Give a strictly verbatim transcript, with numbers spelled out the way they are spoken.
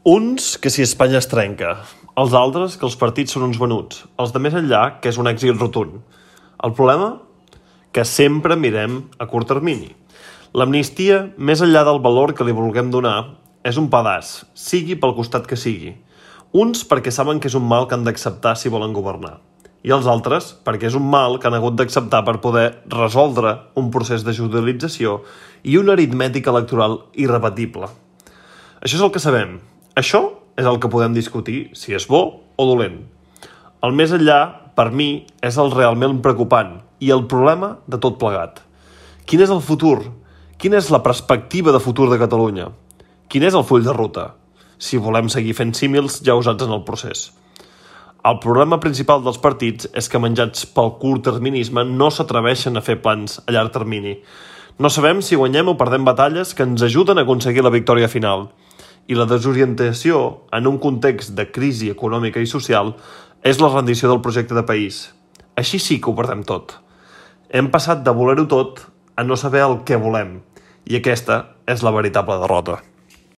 Uns, que si Espanya es trenca. Els altres, que els partits són uns venuts. Els de més enllà, que és un èxit rotund. El problema? Que sempre mirem a curt termini. L'amnistia, més enllà del valor que li vulguem donar, és un pedaç, sigui pel costat que sigui. Uns perquè saben que és un mal que han d'acceptar si volen governar. I els altres perquè és un mal que han hagut d'acceptar per poder resoldre un procés de judicialització i una aritmètica electoral irrepetible. Això és el que sabem. Això és el que podem discutir, si és bo o dolent. El més enllà, per mi, és el realment preocupant i el problema de tot plegat. Quin és el futur? Quina és la perspectiva de futur de Catalunya? Quin és el full de ruta? Si volem seguir fent símils ja usats en el procés. El problema principal dels partits és que, menjats pel curtterminisme, no s'atreveixen a fer plans a llarg termini. No sabem si guanyem o perdem batalles que ens ajuden a aconseguir la victòria final. I la desorientació, en un context de crisi econòmica i social, és la rendició del projecte de país. Així sí que ho perdem tot. Hem passat de voler-ho tot a no saber el que volem. I aquesta és la veritable derrota.